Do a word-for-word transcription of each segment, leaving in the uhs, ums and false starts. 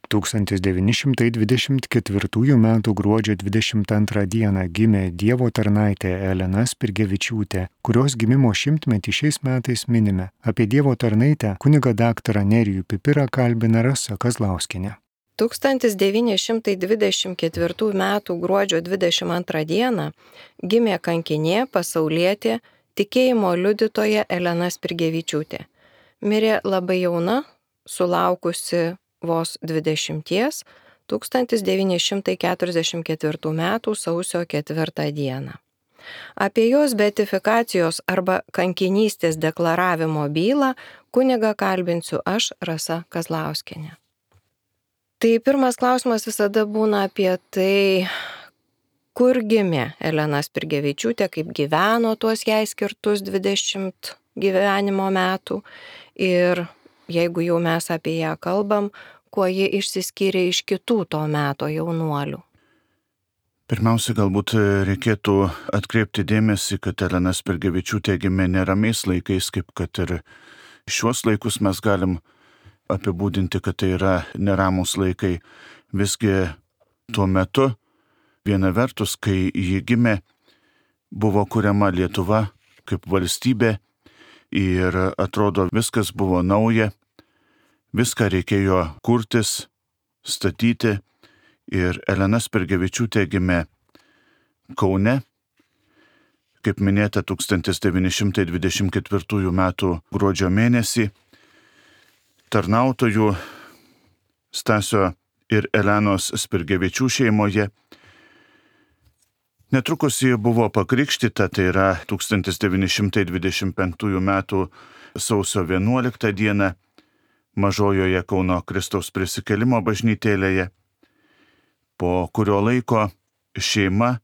tūkstantis devyni šimtai dvidešimt ketvirtųjų metų gruodžio dvidešimt antrą dieną gimė Dievo tarnaitė Elena Spirgevičiūtė, kurios gimimo šimtmetį šiais metais minime. Apie Dievo tarnaitę kunigą daktarą Nerijų Pipirą kalbina Rasa Kazlauskienė. tūkstantis devyni šimtai dvidešimt ketvirtų metų gruodžio dvidešimt antrą dieną gimė kankinė, pasaulietė, tikėjimo liudytoja Elena Spirgevičiūtė. Mirė labai jauna, sulaukusi vos dvidešimties, tūkstantis devyni šimtai keturiasdešimt ketvirtų metų sausio ketvirtą dieną. Apie jos beatifikacijos arba kankinystės deklaravimo bylą kunigą kalbinsiu aš, Rasa Kazlauskienė. Tai pirmas klausimas visada būna apie tai, kur gimė Elena Spirgevičiūtė, kaip gyveno tuos jai skirtus dvidešimt gyvenimo metų ir jeigu jau mes apie ją kalbam, kuo ji išsiskyrė iš kitų to meto jaunuolių. Pirmiausia, galbūt reikėtų atkreipti dėmesį, kad Elena Spirgevičiūtė gimė neramiais laikais, kaip kad ir šiuos laikus mes galim apibūdinti, kad tai yra neramus laikai. Visgi tuo metu, viena vertus, kai ji gimė, buvo kuriama Lietuva kaip valstybė ir atrodo viskas buvo nauja, viską reikėjo kurtis, statyti ir Elena Spirgevičiūtė gimė Kaune, kaip minėta, tūkstantis devyni šimtai dvidešimt ketvirtųjų metų gruodžio mėnesį, tarnautojų Stasio ir Elenos Spirgevičių šeimoje. Netrukus ji buvo pakrikštyta, tai yra tūkstantis devyni šimtai dvidešimt penktųjų metų sausio vienuoliktą dieną Mažojoje Kauno Kristaus prisikėlimo bažnytėlėje, po kurio laiko šeima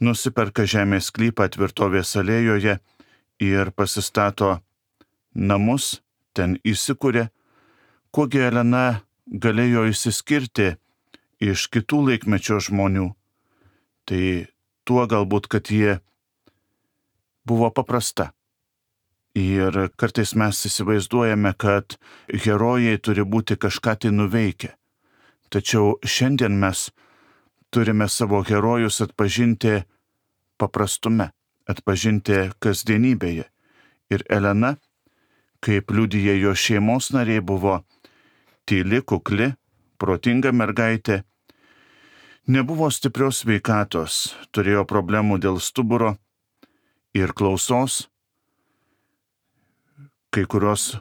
nusiperka žemės sklypą Tvirtovės alėjoje ir pasistato namus, ten įsikūrė, kuogi Elena galėjo išsiskirti iš kitų laikmečio žmonių. Tai tuo galbūt, kad jie buvo paprasta. Ir kartais mes įsivaizduojame, kad herojai turi būti kažką tai nuveikę. Tačiau šiandien mes turime savo herojus atpažinti paprastume, atpažinti kasdienybėje. Ir Elena, kaip liudija jo šeimos nariai, buvo tyli, kukli, protinga mergaitė. Nebuvo stiprios sveikatos, turėjo problemų dėl stuburo ir klausos. Kai kurios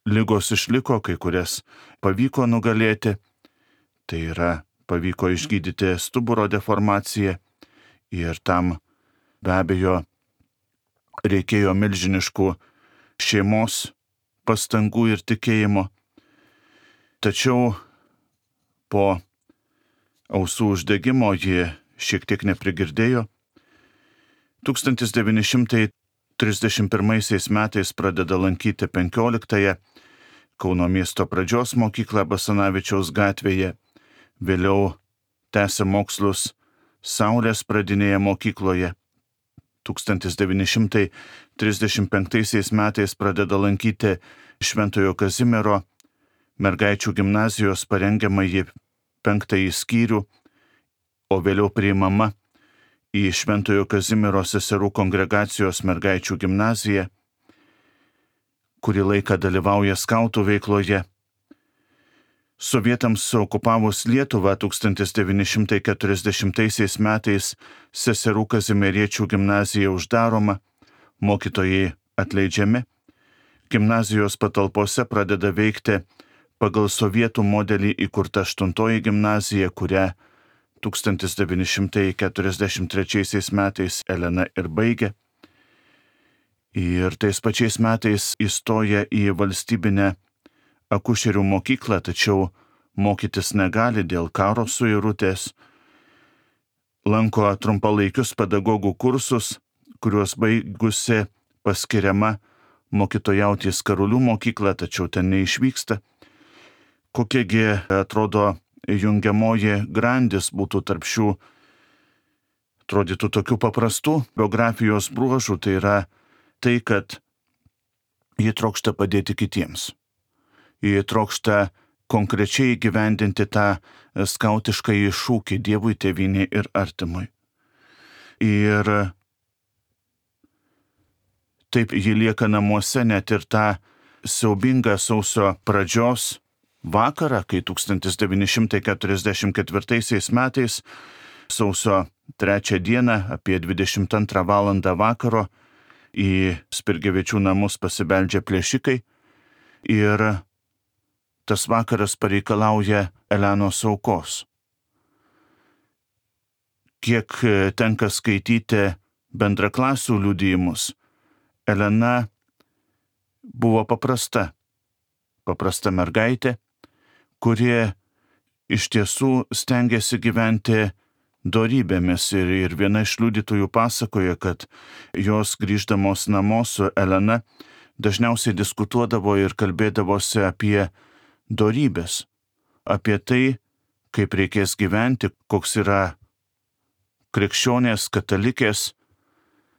ligos išliko, kai kurias pavyko nugalėti. Tai yra, pavyko išgydyti stuburo deformaciją ir tam be abejo reikėjo milžiniškų šeimos pastangų ir tikėjimo. Tačiau po ausų uždegimo ji šiek tiek neprigirdėjo. tūkstantis devyni šimtai trisdešimt pirmaisiais metais pradeda lankyti penkioliktąją Kauno miesto pradžios mokyklą Basanavičiaus gatvėje, vėliau tęsė mokslus Saulės pradinėje mokykloje. tūkstantis devyni šimtai trisdešimt penktaisiais metais pradeda lankyti Šventojo Kazimiero mergaičių gimnazijos parengiamąjį penktąjį skyrių, o vėliau priimama į Šventojo Kazimiero seserų kongregacijos mergaičių gimnaziją, kurį laiką dalyvauja skautų veikloje. Sovietams okupavus Lietuvą tūkstantis devyni šimtai keturiasdešimtaisiais metais seserų kazimieriečių gimnazija uždaroma, mokytojai atleidžiami, gimnazijos patalpose pradeda veikti pagal sovietų modelį įkurta aštuntoji gimnazija, kurią tūkstantis devyni šimtai keturiasdešimt trečiaisiais metais Elena ir baigė. Ir tais pačiais metais įstoja į valstybinę akušerių mokyklą, tačiau mokytis negali dėl karo suirutės. Lanko trumpalaikius pedagogų kursus, kuriuos baigusi paskiriama mokytojauti į Skarulių mokyklą, tačiau ten neišvyksta. Kokiegi atrodo jungiamoji grandis būtų tarp šių, atrodytų tokių paprastų biografijos bruožų, tai yra tai, kad ji trokšta padėti kitiems. Ji trokšta konkrečiai gyvendinti tą skautišką šūkį Dievui, tėvynei ir artimui. Ir taip ji lieka namuose net ir tą siaubingą sausio pradžios vakarą, kai tūkstantis devyni šimtai keturiasdešimt ketvirtaisiais metais sausio trečią dieną apie dvidešimt antrą valandą vakaro į Spirgevičių namus pasibeldžia plėšikai ir tas vakaras pareikalauja Elenos aukos. Kiek tenka skaityti bendraklasių liudijimus, Elena buvo paprasta, paprasta mergaitė, kuri iš tiesų stengiasi gyventi dorybėmis ir, ir viena iš liudytojų pasakoja, kad jos grįždamos namo su Elena dažniausiai diskutuodavo ir kalbėdavosi apie dorybės, apie tai, kaip reikės gyventi, koks yra krikščionės, katalikės,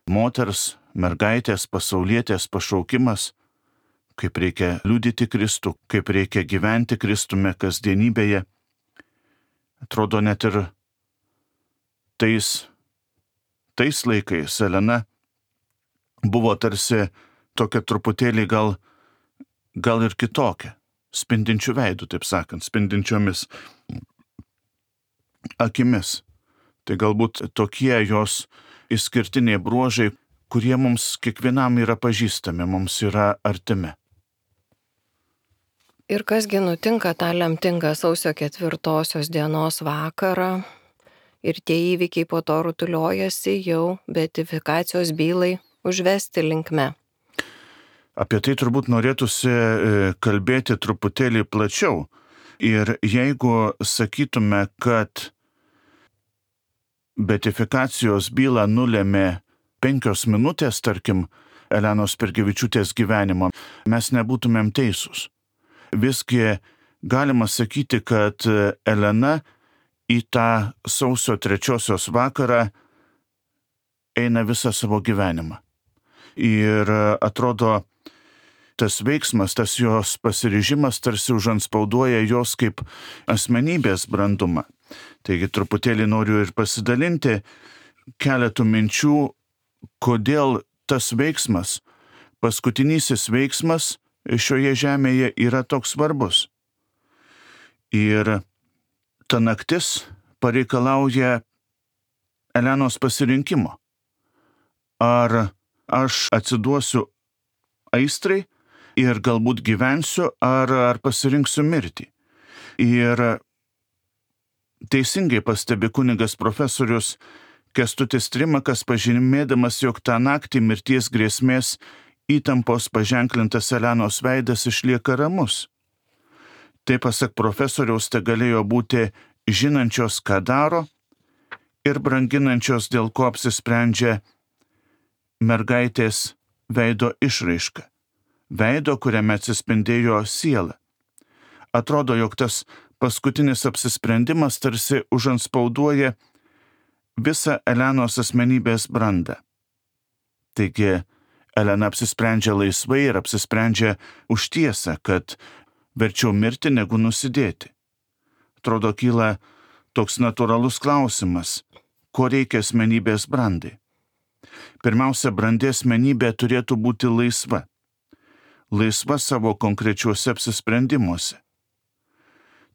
moters, mergaitės, pasaulietės pašaukimas, kaip reikia liudyti Kristų, kaip reikia gyventi Kristume kasdienybėje. Atrodo, net ir tais, tais laikais Elena buvo tarsi tokia truputėlį gal, gal ir kitokia, spindinčių veidų, taip sakant, spindinčiomis akimis. Tai galbūt tokie jos išskirtiniai bruožai, kurie mums kiekvienam yra pažįstami, mums yra artimi. Ir kasgi nutinka tą lemtingą sausio ketvirtosios dienos vakarą ir tie įvykiai po to rutuliojasi jau beatifikacijos bylai užvesti linkme. Apie tai turbūt norėtųsi kalbėti truputėlį plačiau. Ir jeigu sakytume, kad beatifikacijos bylą nulėmė penkios minutės, tarkim, Elenos Spirgevičiūtės gyvenimo, mes nebūtumėm teisūs. Visgi galima sakyti, kad Elena į tą sausio trečiosios vakarą eina visą savo gyvenimą. Ir atrodo, tas veiksmas, tas jos pasiryžimas tarsi užantspauduoja jos kaip asmenybės brandumą. Taigi truputėlį noriu ir pasidalinti keletų minčių, kodėl tas veiksmas, paskutinysis veiksmas šioje žemėje yra toks svarbus. Ir ta naktis pareikalauja Elenos pasirinkimo. Ar aš atsiduosiu aistrai ir galbūt gyvensiu, ar, ar pasirinksiu mirtį. Ir teisingai pastebi kunigas profesorius Kęstutis Trimakas, pažymėdamas, jog tą naktį mirties grėsmės įtampos paženklintas Elenos veidas išlieka ramus. Tai pasak profesoriaus, tai galėjo būti žinančios, ką daro, ir branginančios, dėl ko apsisprendžia mergaitės veido išraiška. Veido, kuriame atsispindėjo siela. Atrodo, jog tas paskutinis apsisprendimas tarsi užantspauduoja visą Elenos asmenybės brandą. Taigi, Elena apsisprendžia laisvai ir apsisprendžia už tiesą, kad verčiau mirti negu nusidėti. Atrodo, kyla toks natūralus klausimas, ko reikia asmenybės brandai. Pirmiausia, brandi asmenybė turėtų būti laisva. Laisva savo konkrečiuose apsisprendimuose.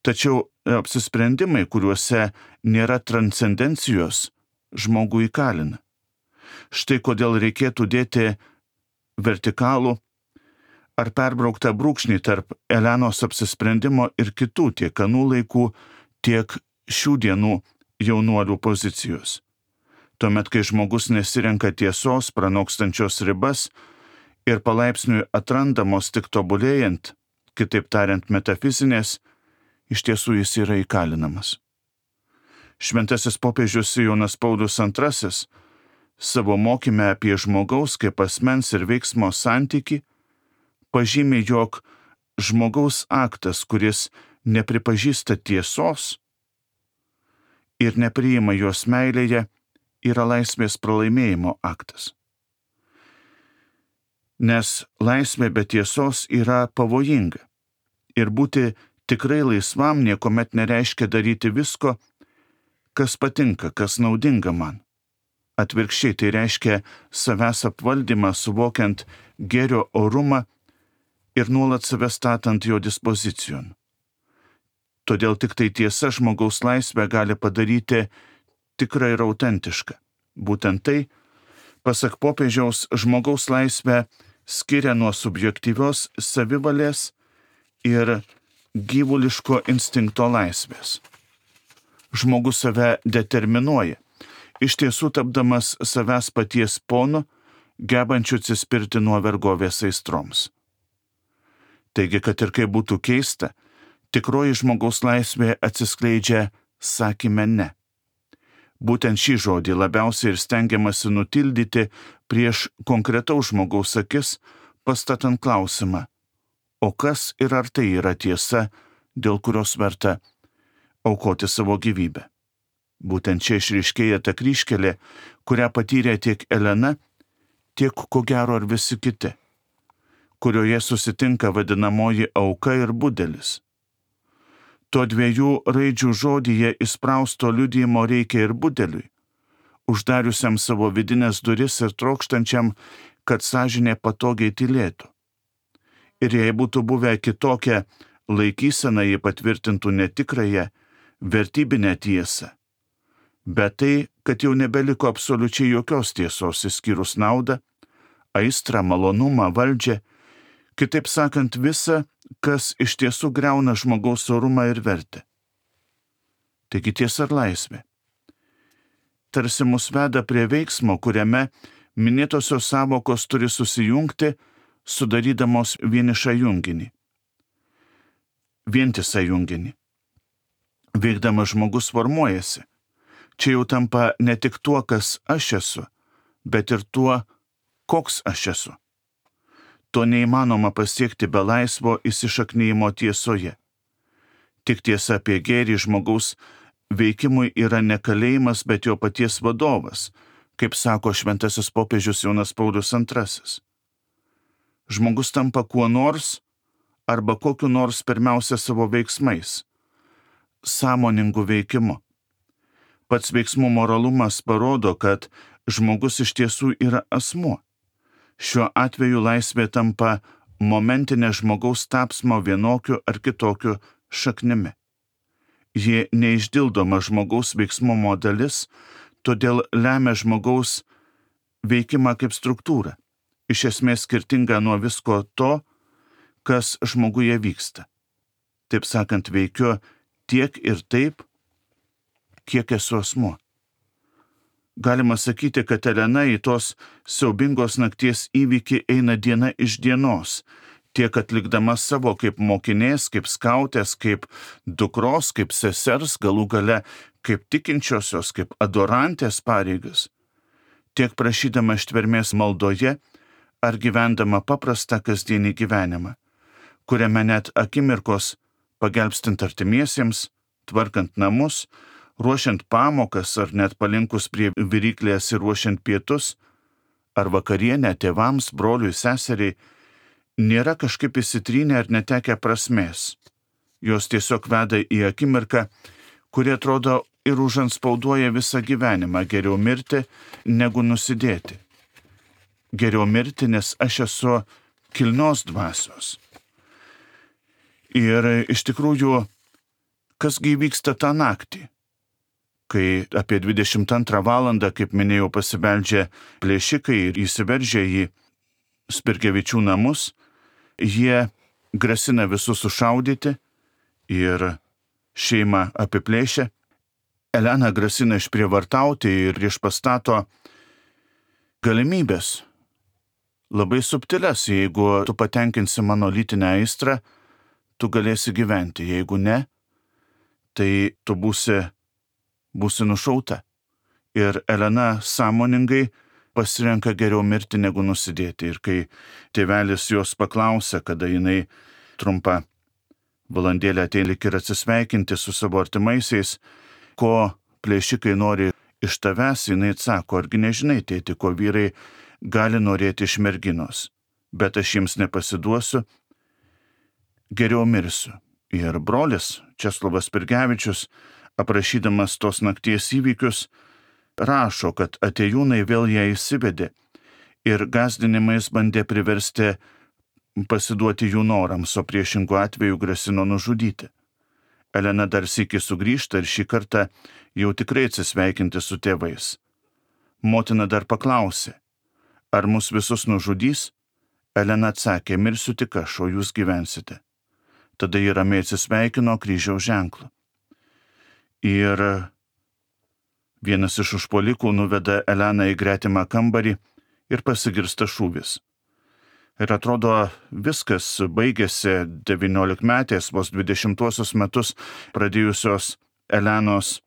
Tačiau apsisprendimai, kuriuose nėra transcendencijos, žmogų įkalina. Štai kodėl reikėtų dėti vertikalų ar perbrauktą brūkšnį tarp Elenos apsisprendimo ir kitų tiek anų laikų, tiek šių dienų jaunuolių pozicijos. Tuomet, kai žmogus nesirenka tiesos, pranokstančios ribas ir palaipsniui atrandamos tik tobulėjant, kitaip tariant metafizinės, iš tiesų jis yra įkalinamas. Šventasis popiežius Jonas Paulius antrasis savo mokyme apie žmogaus kaip asmens ir veiksmo santykį pažymi, jog žmogaus aktas, kuris nepripažįsta tiesos ir nepriima jos meilėje, yra laisvės pralaimėjimo aktas. Nes laisvė be tiesos yra pavojinga ir būti Tikrai laisvam niekuomet nereiškia daryti visko, kas patinka, kas naudinga man. Atvirkščiai tai reiškia savęs apvaldymą, suvokiant gėrio orumą ir nuolat save statant jo dispozicijon. Todėl tik tai tiesa žmogaus laisvę gali padaryti tikrą ir autentišką. Būtent tai, pasak popiežiaus, žmogaus laisvę skiria nuo subjektyvios savivalės ir gyvuliško instinkto laisvės. Žmogus save determinuoja, iš tiesų tapdamas savęs paties ponu, gebančiu atsispirti nuo vergovės aistroms. Taigi, kad ir kaip būtų keista, tikroji žmogaus laisvė atsiskleidžia sakyme ne. Būtent šį žodį labiausiai ir stengiamasi nutildyti prieš konkretaus žmogaus akis, pastatant klausimą, o kas ir ar tai yra tiesa, dėl kurios verta aukoti savo gyvybę. Būtent čia išryškėja ta kryžkelė, kurią patyrė tiek Elena, tiek ko gero ir visi kiti, kurioje susitinka vadinamoji auka ir budelis. To dviejų raidžių žodyje įsprausto liudijimo reikia ir budeliui, uždariusiam savo vidinės duris ir trokštančiam, kad sąžinė patogiai tylėtų. Ir jei būtų buvę kitokia laikysena, jį patvirtintų netikrąją, vertybinę tiesą. Bet tai, kad jau nebeliko absoliučiai jokios tiesos išskyrus naudą, aistrą, malonumą, valdžią, kitaip sakant visa, kas iš tiesų griauna žmogaus orumą ir vertę. Taigi tiesa ir laisvė. Tarsi mus veda prie veiksmo, kuriame minėtosios sąvokos turi susijungti, sudarydamos vienišą junginį. Vientisą junginį. Veikdamas žmogus formuojasi. Čia jau tampa ne tik tuo, kas aš esu, bet ir tuo, koks aš esu. To neįmanoma pasiekti be laisvo įsišaknyjimo tiesoje. Tik tiesa apie gėrį žmogaus veikimui yra ne kalėjimas, bet jo paties vadovas, kaip sako šventasis popiežius Jonas Paulius antrasis. Žmogus tampa kuo nors arba kokiu nors pirmiausia savo veiksmais, sąmoningu veikimu. Pats veiksmų moralumas parodo, kad žmogus iš tiesų yra asmuo. Šiuo atveju laisvė tampa momentinė žmogaus tapsmo vienokiu ar kitokiu šaknimi. Ji neišdildoma žmogaus veiksmumo dalis, todėl lemia žmogaus veikimą kaip struktūrą, iš esmės skirtinga nuo visko to, kas žmoguje vyksta. Taip sakant, veikiu tiek ir taip, kiek esu asmuo. Galima sakyti, kad Elena į tos siaubingos nakties įvykį eina diena iš dienos, tiek atlikdama savo kaip mokinės, kaip skautės, kaip dukros, kaip sesers, galų gale kaip tikinčiosios, kaip adorantės pareigas, tiek prašydama ištvermės maldoje ar gyvendama paprastą kasdienį gyvenimą, kuriame net akimirkos pagelbstint artimiesiems, tvarkant namus, ruošiant pamokas ar net palinkus prie viryklės ir ruošiant pietus, ar vakarienę tėvams, broliui, seseriai, nėra kažkaip įsitrynę ar netekę prasmės. Jos tiesiog veda į akimirką, kuri atrodo ir užanspauduoja visą gyvenimą, geriau mirti, negu nusidėti. Geriau mirti, nes aš esu kilnios dvasios. Ir iš tikrųjų, kasgi vyksta tą naktį? Kai apie dvidešimt antrą valandą, kaip minėjau, pasibeldžia plėšikai ir įsiveržia į Spirgevičių namus, jie grasina visus sušaudyti ir šeimą apiplėšia. Elena grasina išprievartauti ir išpastato galimybės, labai subtilias, jeigu tu patenkinsi mano lytinę aistrą, tu galėsi gyventi, jeigu ne, tai tu būsi būsi nušauta. Ir Elena sąmoningai pasirenka geriau mirti negu nusidėti. Ir kai tėvelis jos paklausia, kada jinai trumpą valandėlę ateina ir atsisveikinti su savo artimaisiais, ko plėšikai nori iš tavęs, jinai atsako, argi nežinai, tėti, ko vyrai gali norėti iš merginos, bet aš jiems nepasiduosiu, geriau mirsiu. Ir brolis Česlovas Spirgevičius, aprašydamas tos nakties įvykius, rašo, kad atėjūnai vėl ją įsivedė ir gąsdinimais bandė priversti pasiduoti jų norams, o priešingų atveju grasino nužudyti. Elena dar sykį sugrįžta ir šį kartą jau tikrai atsisveikinti su tėvais. Motina dar paklausė, ar mus visus nužudys? Elena atsakė, mirsiu tik aš, o jūs gyvensite. Tada ji ramiai atsisveikino kryžiaus ženklu. Ir vienas iš užpuolikų nuveda Eleną į gretimą kambarį ir pasigirsta šūvis. Ir atrodo, viskas baigėsi devyniolikmetės, vos dvidešimtuosius metus pradėjusios Elenos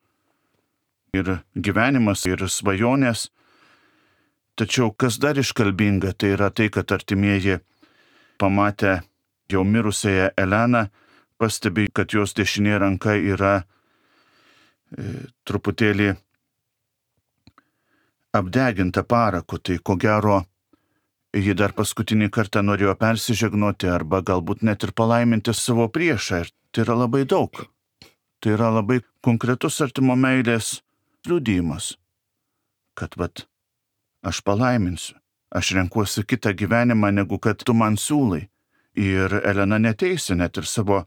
ir gyvenimas, ir svajonės. Tačiau kas dar iškalbinga, tai yra tai, kad artimieji pamatę jau mirusiąją Eleną, pastebi, kad jos dešinė ranka yra e, truputėlį apdeginta paraku, tai ko gero ji dar paskutinį kartą norėjo persižegnoti arba galbūt net ir palaiminti savo priešą. Ir tai yra labai daug. Tai yra labai konkretus artimo meilės liudijimas, kad vat aš palaiminsiu, aš renkuosi kitą gyvenimą, negu kad tu man siūlai. Ir Elena neteisi net ir savo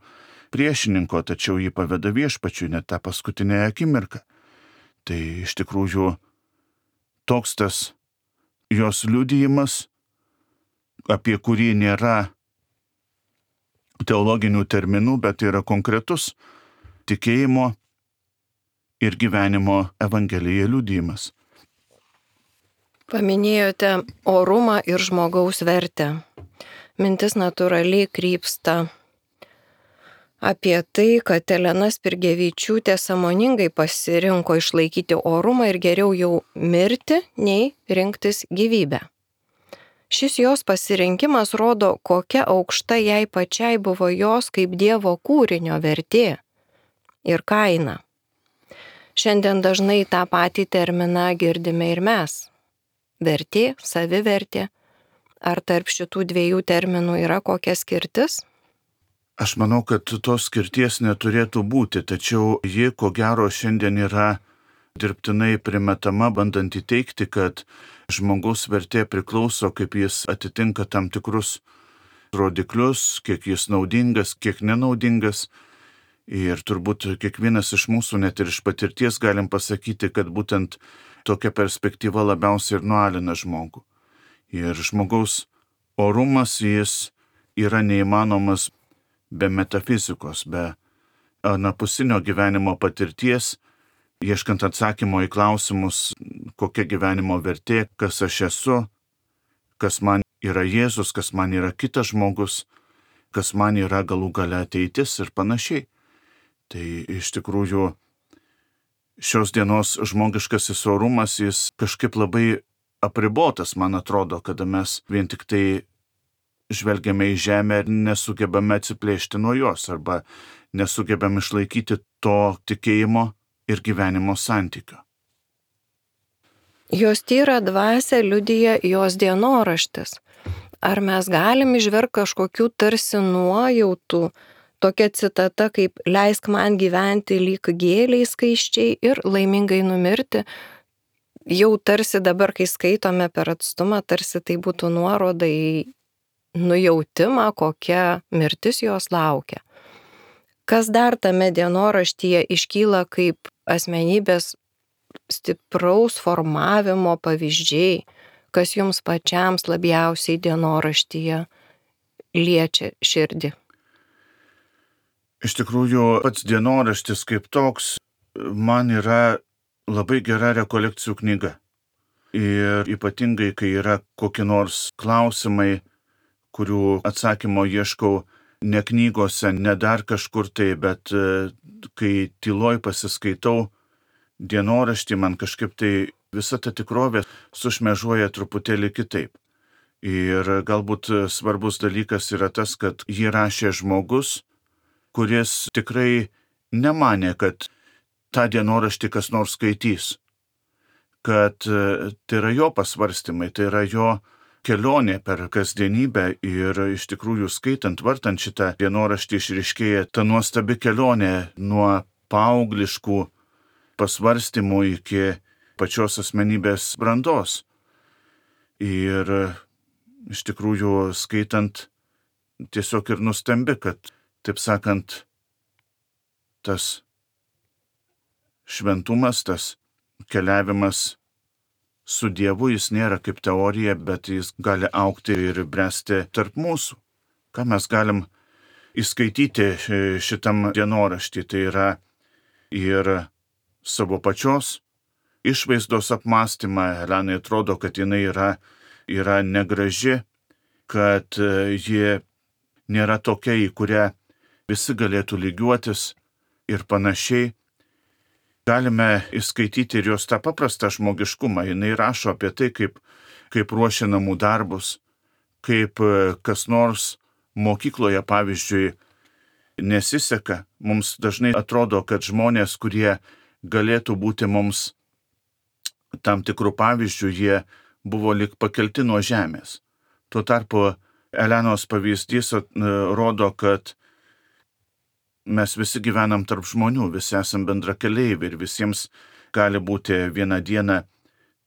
priešininko, tačiau jį paveda viešpačiui net tą paskutinę akimirką. Tai iš tikrųjų toks tas jos liudijimas, apie kurį nėra teologinių terminų, bet yra konkretus tikėjimo ir gyvenimo Evangelija liudijimas. Paminėjote orumą ir žmogaus vertę. Mintis natūraliai krypsta apie tai, kad Elena Spirgevičiūtė sąmoningai pasirinko išlaikyti orumą ir geriau jau mirti, nei rinktis gyvybę. Šis jos pasirinkimas rodo, kokia aukšta jai pačiai buvo jos kaip Dievo kūrinio vertė ir kaina. Šiandien dažnai tą patį terminą girdime ir mes. Vertė, savivertė. Ar tarp šitų dviejų terminų yra kokia skirtis? Aš manau, kad tos skirties neturėtų būti, tačiau ji, ko gero, šiandien yra dirbtinai primetama, bandant įteikti, kad žmogaus vertė priklauso, kaip jis atitinka tam tikrus rodiklius, kiek jis naudingas, kiek nenaudingas. Ir turbūt kiekvienas iš mūsų, net ir iš patirties, galim pasakyti, kad būtent tokia perspektyva labiausiai ir nualina žmogų. Ir žmogaus orumas jis yra neįmanomas be metafizikos, be anapusinio gyvenimo patirties, ieškant atsakymo į klausimus, kokia gyvenimo vertė, kas aš esu, kas man yra Jėzus, kas man yra kitas žmogus, kas man yra galų gale ateitis ir panašiai. Tai iš tikrųjų šios dienos žmogiškasis orumas jis kažkaip labai apribotas, man atrodo, kada mes vien tik tai žvelgiame į žemę ir nesugebame atsiplėšti nuo jos arba nesugebame išlaikyti to tikėjimo ir gyvenimo santykio. Jos tyrą dvasią liudija jos dienoraštis. Ar mes galim įžvelgti kažkokių tarsi nuojautų, tokia citata kaip leisk man gyventi lyg gėliai skaisčiai ir laimingai numirti, jau tarsi dabar, kai skaitome per atstumą, tarsi tai būtų nuoroda į nujautimą, kokia mirtis jos laukia. Kas dar tame dienoraštyje iškyla kaip asmenybės stipraus formavimo pavyzdžiai, kas jums pačiams labiausiai dienoraštyje liečia širdį? Iš tikrųjų, pats dienoraštis kaip toks man yra labai gera rekolekcijų knyga. Ir ypatingai, kai yra kokie nors klausimai, kurių atsakymo ieškau ne knygose, ne dar kažkur tai, bet kai tyloj pasiskaitau dienoraštį, man kažkaip tai visa ta tikrovė sušmežuoja truputėlį kitaip. Ir galbūt svarbus dalykas yra tas, kad jį rašė žmogus, kuris tikrai nemanė, kad tą dienoraštį kas nors skaitys, kad tai yra jo pasvarstymai, tai yra jo kelionė per kasdienybę ir iš tikrųjų skaitant, vartant šitą dienoraštį išryškėja ta nuostabi kelionė nuo paaugliškų pasvarstymų iki pačios asmenybės brandos. Ir iš tikrųjų skaitant tiesiog ir nustembi, kad, taip sakant, tas šventumas, tas keliavimas su Dievu, jis nėra kaip teorija, bet jis gali augti ir bręsti tarp mūsų. Ką mes galim įskaityti šitam dienoraštį, tai yra ir savo pačios išvaizdos apmąstymą. Elenai atrodo, kad jinai yra, yra negraži, kad ji nėra tokia, į kurią visi galėtų lygiuotis ir panašiai. Galime įskaityti ir jos tą paprastą žmogiškumą. Jinai rašo apie tai, kaip, kaip ruošia namų darbus, kaip kas nors mokykloje, pavyzdžiui, nesiseka. Mums dažnai atrodo, kad žmonės, kurie galėtų būti mums tam tikrų pavyzdžių, jie buvo lyg pakelti nuo žemės. Tuo tarpu Elenos pavyzdys rodo, kad mes visi gyvenam tarp žmonių, visi esam bendrakeleiviai ir visiems gali būti vieną dieną,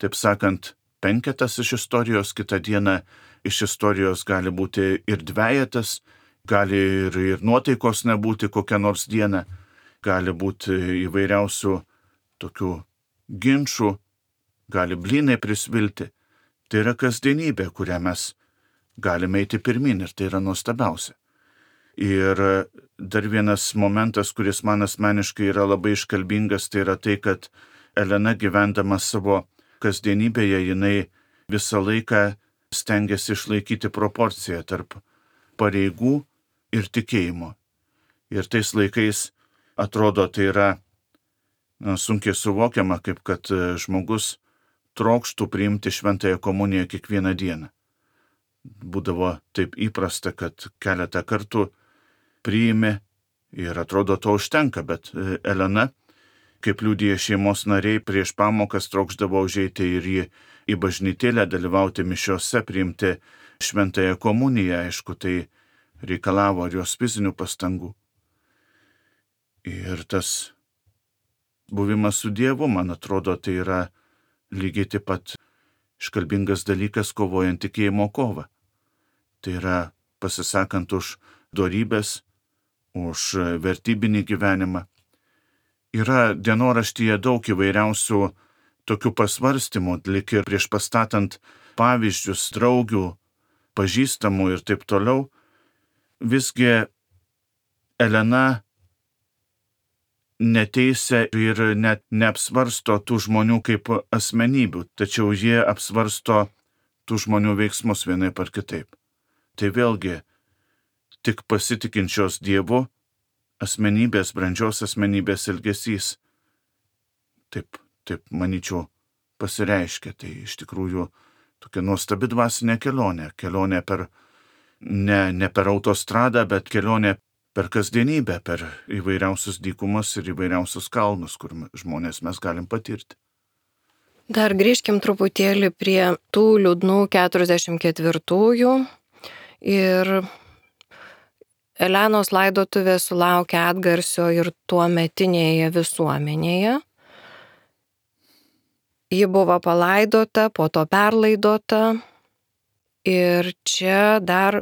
taip sakant, penketas iš istorijos, kitą dieną iš istorijos gali būti ir dvejetas, gali ir, ir nuotaikos nebūti kokią nors dieną, gali būti įvairiausių tokių ginčių, gali blynai prisvilti. Tai yra kasdienybė, kurią mes galime eiti pirmin ir tai yra nuostabiausia. Ir dar vienas momentas, kuris man asmeniškai yra labai iškalbingas, tai yra tai, kad Elena gyvendama savo kasdienybėje, jinai visą laiką stengiasi išlaikyti proporciją tarp pareigų ir tikėjimo. Ir tais laikais atrodo, tai yra na, sunkiai suvokiama, kaip kad žmogus trokštų priimti šventąją komuniją kiekvieną dieną. Būdavo taip įprasta, kad keletą kartų priimi ir atrodo to užtenka, bet Elena, kaip liudija šeimos nariai, prieš pamokas trokšdavo užeiti ir į, į bažnytėlę, dalyvauti mišiose, priimti šventąją komuniją, aišku, tai reikalavo ir jos fizinių pastangų. Ir tas buvimas su Dievu, man atrodo, tai yra lygiai taip pat iškalbingas dalykas kovojant tikėjimo kovą. Tai yra pasisakant už dorybės, už vertybinį gyvenimą. Yra dienoraštyje daug įvairiausių tokių pasvarstymų, lyg ir prieš pastatant pavyzdžius draugių, pažįstamų ir taip toliau. Visgi Elena neteisia ir net neapsvarsto tų žmonių kaip asmenybių, tačiau jie apsvarsto tų žmonių veiksmus vienaip ar kitaip. Tai vėlgi tik pasitikinčios Dievu asmenybės, brandžios asmenybės elgesys. Taip, taip, manyčiau, pasireiškia. Tai iš tikrųjų tokia nuostabi dvasinė kelionė. Kelionė per, ne, ne per autostradą, bet kelionė per kasdienybę, per įvairiausius dykumus ir įvairiausius kalnus, kur žmonės mes galim patirti. Dar grįžkim truputėlį prie tų liūdnų keturiasdešimt ketvirtųjų. Ir Elenos laidotuvė sulaukė atgarsio ir tuometinėje visuomenėje. Ji buvo palaidota, po to perlaidota ir čia dar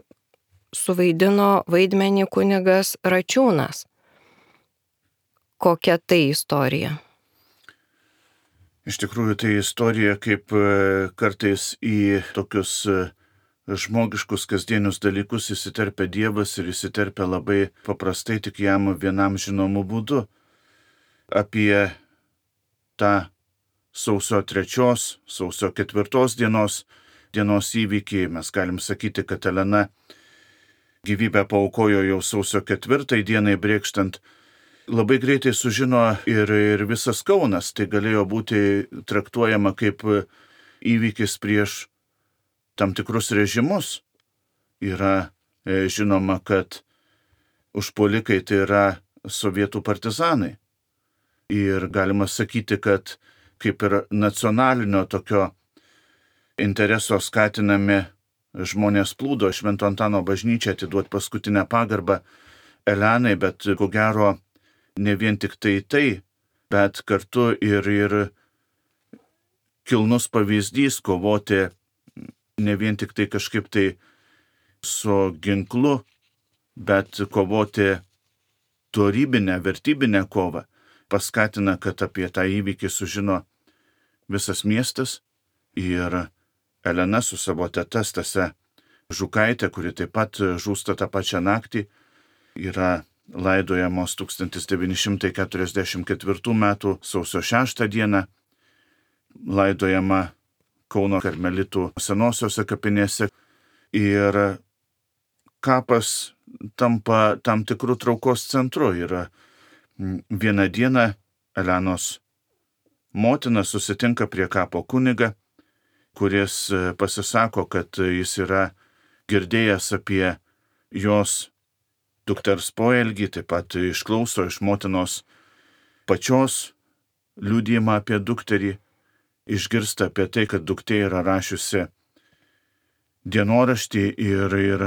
suvaidino vaidmenį kunigas Račiūnas. Kokia tai istorija? Iš tikrųjų, tai istorija, kaip kartais į tokius žmogiškus kasdienius dalykus įsiterpia Dievas ir įsiterpia labai paprastai tik jam vienam žinomų būdų. Apie tą sausio trečios, sausio ketvirtos dienos, dienos įvykį mes galim sakyti, kad Elena gyvybę paaukojo jau sausio ketvirtai dienai brėkštant. Labai greitai sužino ir, ir visas Kaunas, tai galėjo būti traktuojama kaip įvykis prieš tam tikrus režimus. Yra e, žinoma, kad užpuolikai tai yra sovietų partizanai. Ir galima sakyti, kad kaip ir nacionalinio tokio intereso skatinami žmonės plūdo Švento Antano bažnyčią atiduoti paskutinę pagarbą Elenai, bet ko gero ne vien tik tai tai, bet kartu ir, ir kilnus pavyzdys kovoti ne vien tik tai kažkaip tai su ginklu, bet kovoti dorybinę, vertybinę kovą. Paskatina, kad apie tą įvykį sužino visas miestas ir Elena su savo teta Stase Žukaitė, kuri taip pat žūsta tą pačią naktį, yra laidojamos tūkstantis devyni šimtai keturiasdešimt ketvirtų metų sausio šeštą dieną, laidojama Kauno karmelitų senosiose kapinėse ir kapas tampa tam tikrų traukos centru. Yra vieną dieną Elenos motina susitinka prie kapo kunigą, kuris pasisako, kad jis yra girdėjęs apie jos dukters poelgį, taip pat išklauso iš motinos pačios liudijimą apie dukterį, išgirsta apie tai, kad duktė yra rašiusi dienoraštį ir, ir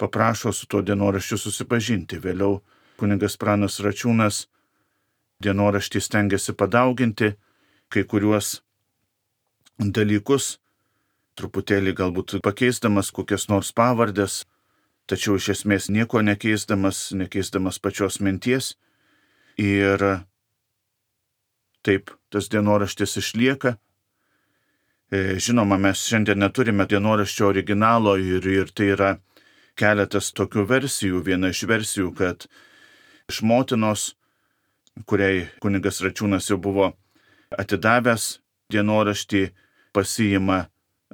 paprašo su tuo dienoraščiu susipažinti. Vėliau kunigas Pranas Račiūnas dienoraštį stengiasi padauginti, kai kuriuos dalykus, truputėlį galbūt pakeisdamas kokias nors pavardės, tačiau iš esmės nieko nekeisdamas, nekeisdamas pačios minties. Ir taip tas dienoraštis išlieka. Žinoma, mes šiandien neturime dienoraščio originalo ir, ir tai yra keletas tokių versijų. Viena iš versijų, kad iš motinos, kuriai kunigas Račiūnas jau buvo atidavęs dienoraštį, pasiima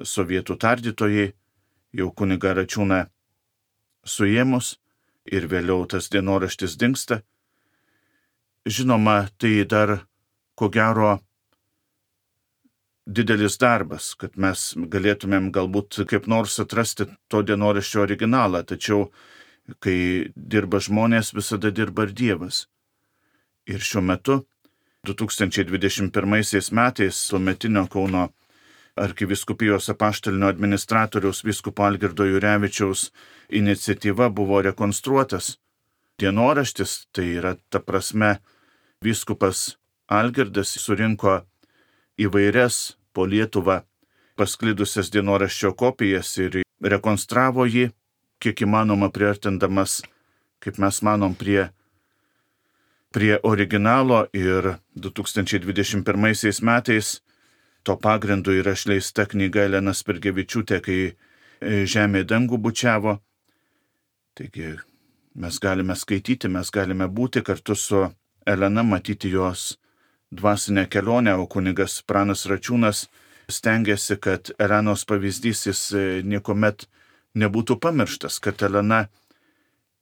sovietų tardytojai, jau kunigą Račiūną suėmus ir vėliau tas dienoraštis dingsta. Žinoma, tai dar ko gero didelis darbas, kad mes galėtumėm galbūt kaip nors atrasti to dienoraščio originalą, tačiau kai dirba žmonės, visada dirba ir Dievas. Ir šiuo metu, du tūkstančiai dvidešimt pirmaisiais metais, tuometinio Kauno arkivyskupijos apaštalinio administratoriaus vyskupo Algirdo Jurevičiaus iniciatyva buvo rekonstruotas dienoraštis. Tai yra ta prasme, vyskupas Algirdas surinko įvairias po Lietuvą pasklidusias dienoraščio kopijas ir rekonstravo jį, kiek įmanoma priartindamas, kaip mes manom, prie, prie originalo. Ir du tūkstančiai dvidešimt pirmaisiais metais to pagrindu yra išleista knyga Elena Spirgevičiūtė, kai žemė dangų bučiavo. Taigi mes galime skaityti, mes galime būti kartu su Elena, matyti jos dvasinę kelionę, o kunigas Pranas Račiūnas stengiasi, kad Elenos pavyzdys jis niekuomet nebūtų pamirštas, kad Elena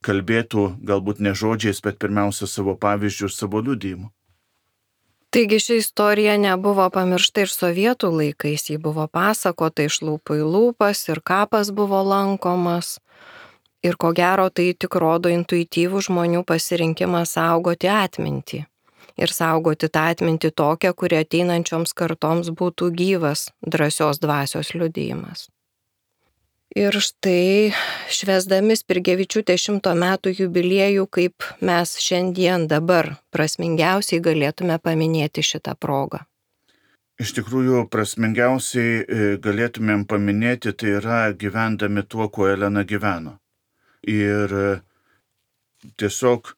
kalbėtų galbūt ne žodžiais, bet pirmiausia savo pavyzdžių ir savo liudijimu. Taigi ši istorija nebuvo pamiršta ir sovietų laikais, ji buvo pasakota iš lūpų į lūpas ir kapas buvo lankomas. Ir ko gero tai tik rodo intuityvų žmonių pasirinkimą saugoti atmintį. Ir saugoti tą atmintį tokią, kuri ateinančioms kartoms būtų gyvas, drąsios dvasios liudijimas. Ir štai, švęsdami Spirgevičiūtės šimto metų jubiliejų, kaip mes šiandien dabar prasmingiausiai galėtume paminėti šitą progą. Iš tikrųjų, prasmingiausiai galėtumėm paminėti, tai yra gyvendami tuo, kuo Elena gyveno. Ir tiesiog,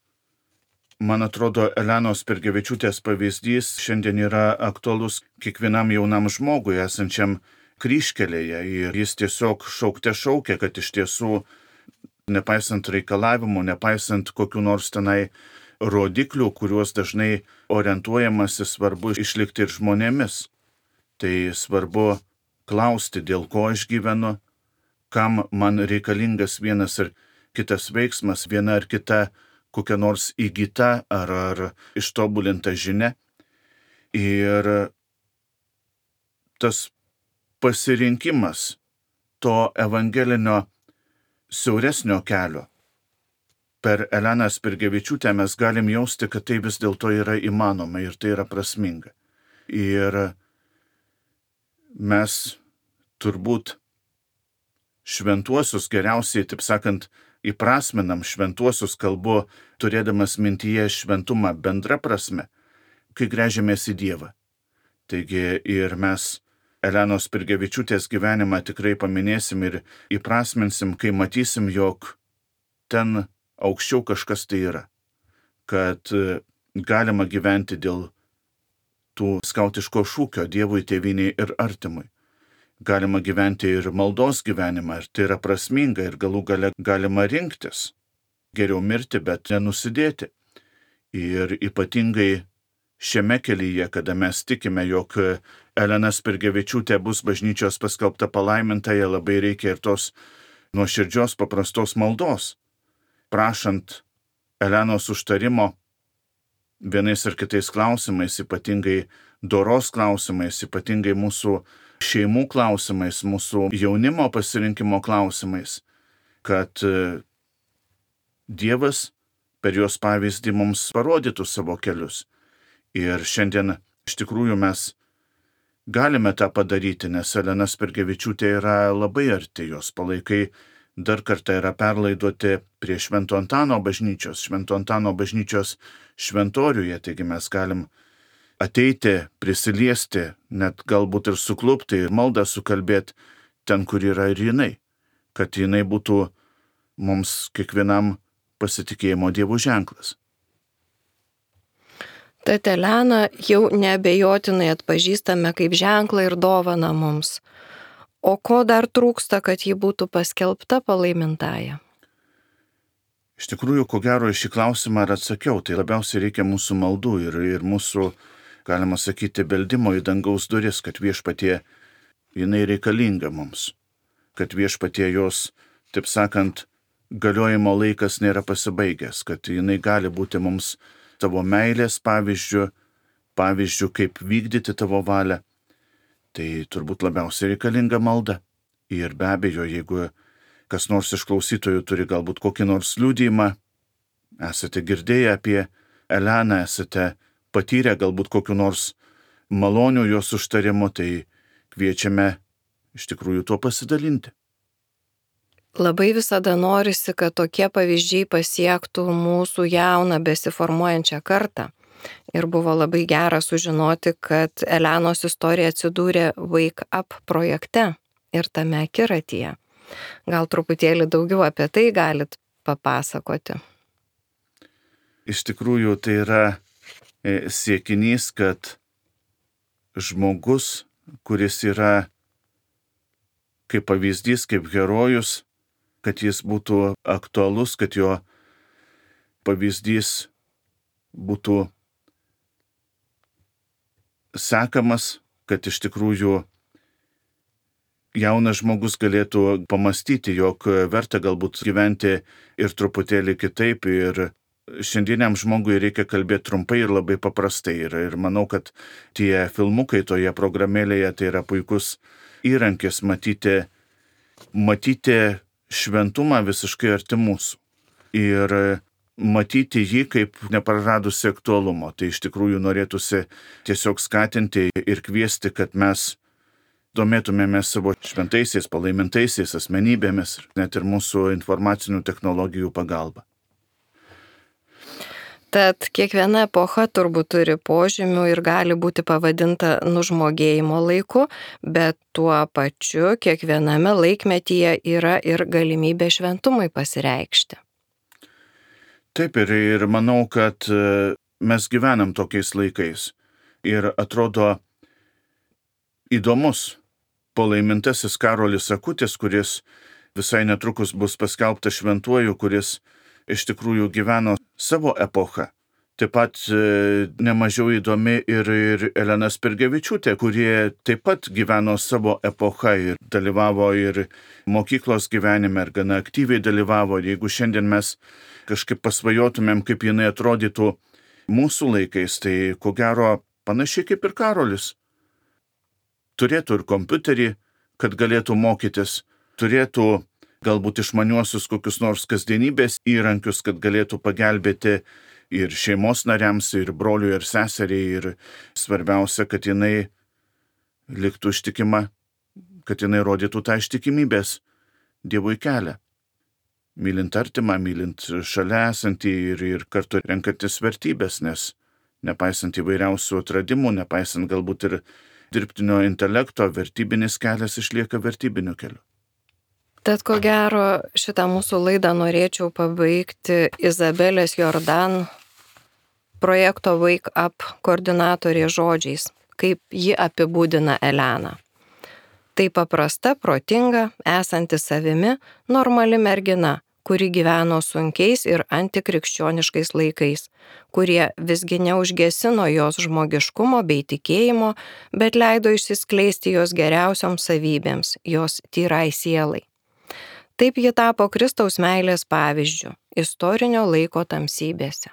man atrodo, Elenos Spirgevičiūtės pavyzdys šiandien yra aktualus kiekvienam jaunam žmogui esančiam kryžkelėje. Ir jis tiesiog šaukte šaukia, kad iš tiesų, nepaisant reikalavimų, nepaisant kokių nors tenai rodiklių, kuriuos dažnai orientuojamasi, svarbu išlikti ir žmonėmis. Tai svarbu klausti, dėl ko aš gyvenu, kam man reikalingas vienas ar kitas veiksmas, viena ar kita kokia nors įgyta ar, ar ištobulinta žinia. Ir tas pasirinkimas to evangelinio siauresnio kelio per Eleną Spirgevičiūtę mes galim jausti, kad tai vis dėlto yra įmanoma ir tai yra prasminga. Ir mes turbūt šventuosius geriausiai, taip sakant, įprasminam šventuosius, kalbu turėdamas mintyje šventumą bendra prasme, kai gręžiamės į Dievą. Taigi ir mes Elenos Spirgevičiūtės gyvenimą tikrai paminėsim ir įprasminsim, kai matysim, jog ten aukščiau kažkas tai yra, kad galima gyventi dėl tų skautiško šūkio Dievui, tėvynei ir artimui. Galima gyventi ir maldos gyvenimą, ir tai yra prasminga, ir galų gale galima rinktis. Geriau mirti, bet nenusidėti. Ir ypatingai šiame kelyje, kada mes tikime, jog Elena Spirgevičiūtė bus bažnyčios paskelbta palaimintaja, labai reikia ir tos nuoširdžios paprastos maldos, prašant Elenos užtarimo vienais ar kitais klausimais, ypatingai doros klausimais, ypatingai mūsų šeimų klausimais, mūsų jaunimo pasirinkimo klausimais, kad Dievas per jos pavyzdį mums parodytų savo kelius. Ir šiandien iš tikrųjų mes galime tą padaryti, nes Elena Spirgevičiūtė yra labai arti, jos palaikai dar kartą yra perlaidoti prie Švento Antano bažnyčios, Švento Antano bažnyčios šventoriuje, taigi mes galim ateiti, prisiliesti, net galbūt ir suklupti ir maldą sukalbėti ten, kur yra ir jinai, kad jinai būtų mums kiekvienam pasitikėjimo Dievu ženklas. Tad Eleną jau neabejotinai atpažįstame kaip ženklą ir dovaną mums. O ko dar trūksta, kad ji būtų paskelbta palaimintąja? Iš tikrųjų, ko gero, šį klausimą ir atsakiau, tai labiausiai reikia mūsų maldų ir, ir mūsų, galima sakyti, beldimo į dangaus duris, kad viešpatie jinai reikalinga mums, kad viešpatie jos, taip sakant, galiojimo laikas nėra pasibaigęs, kad jinai gali būti mums tavo meilės pavyzdžių, pavyzdžių, kaip vykdyti tavo valią. Tai turbūt labiausiai reikalinga malda. Ir be abejo, jeigu kas nors iš klausytojų turi galbūt kokį nors liudijimą, esate girdėję apie Eleną, esate patyrę galbūt kokiu nors malonių jos užtarimu, tai kviečiame iš tikrųjų tuo pasidalinti. Labai visada norisi, kad tokie pavyzdžiai pasiektų mūsų jauną besiformuojančią kartą. Ir buvo labai gera sužinoti, kad Elenos istorija atsidūrė Wake Up projekte ir tame akiratyje. Gal truputėlį daugiau apie tai galit papasakoti? Iš tikrųjų, tai yra siekinys, kad žmogus, kuris yra kaip pavyzdys, kaip herojus, kad jis būtų aktualus, kad jo pavyzdys būtų sekamas, kad iš tikrųjų jaunas žmogus galėtų pamastyti, jog verta galbūt gyventi ir truputėlį kitaip, ir šiandieniam žmogui reikia kalbėti trumpai ir labai paprastai. Ir, ir manau, kad tie filmukai toje programėlėje tai yra puikus įrankis matyti, matyti šventumą visiškai arti mūsų. Ir matyti jį kaip nepraradusi aktualumo. Tai iš tikrųjų norėtųsi tiesiog skatinti ir kviesti, kad mes domėtumėmės savo šventaisiais, palaimintaisiais asmenybėmis, net ir mūsų informacinių technologijų pagalba. Tad kiekviena epocha turbūt turi požymių ir gali būti pavadinta nužmogėjimo laiku, bet tuo pačiu kiekviename laikmetyje yra ir galimybė šventumui pasireikšti. Taip, ir, ir manau, kad mes gyvenam tokiais laikais. Ir atrodo įdomus palaimintasis Karolis Akutis, kuris visai netrukus bus paskelbtas šventuoju, kuris iš tikrųjų gyveno savo epochą. Taip pat e, nemažiau įdomi ir, ir Elena Spirgevičiūtė, kurie taip pat gyveno savo epochą ir dalyvavo ir mokyklos gyvenime, ir gana aktyviai dalyvavo. Jeigu šiandien mes kažkaip pasvajotumėm, kaip jinai atrodytų mūsų laikais, tai ko gero panašiai kaip ir Karolis. Turėtų ir kompiuterį, kad galėtų mokytis, turėtų galbūt išmaniuosius kokius nors kasdienybės įrankius, kad galėtų pagelbėti ir šeimos nariams, ir broliui, ir seseriai, ir svarbiausia, kad jinai liktų ištikima, kad jinai rodytų tą ištikimybės Dievui kelią. Mylint artimą, mylint šalia esantį ir, ir kartu renkantis vertybės, nes nepaisant įvairiausių atradimų, nepaisant galbūt ir dirbtinio intelekto, vertybinis kelias išlieka vertybiniu keliu. Tad ko gero šitą mūsų laidą norėčiau pabaigti Izabelės Jordan projekto Wake Up koordinatorė žodžiais, kaip ji apibūdina Eleną. Tai paprasta, protinga, esanti savimi, normali mergina, kuri gyveno sunkiais ir antikrikščioniškais laikais, kurie visgi neužgesino jos žmogiškumo bei tikėjimo, bet leido išsiskleisti jos geriausioms savybėms, jos tyrai sielai. Taip ji tapo Kristaus meilės pavyzdžiu, istorinio laiko tamsybėse.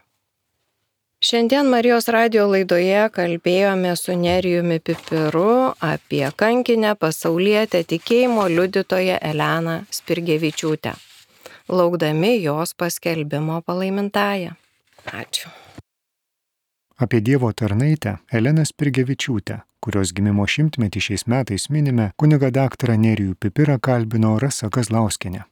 Šiandien Marijos radijo laidoje kalbėjome su Nerijumi Pipiru apie kankinę pasaulietę tikėjimo liudytoją Eleną Spirgevičiūtę, laukdami jos paskelbimo palaimintąją. Ačiū. Apie Dievo tarnaitę Eleną Spirgevičiūtę, kurios gimimo šimtmetį šiais metais minime, kunigą daktarą Nerijų Pipirą kalbino Rasa Kazlauskienė.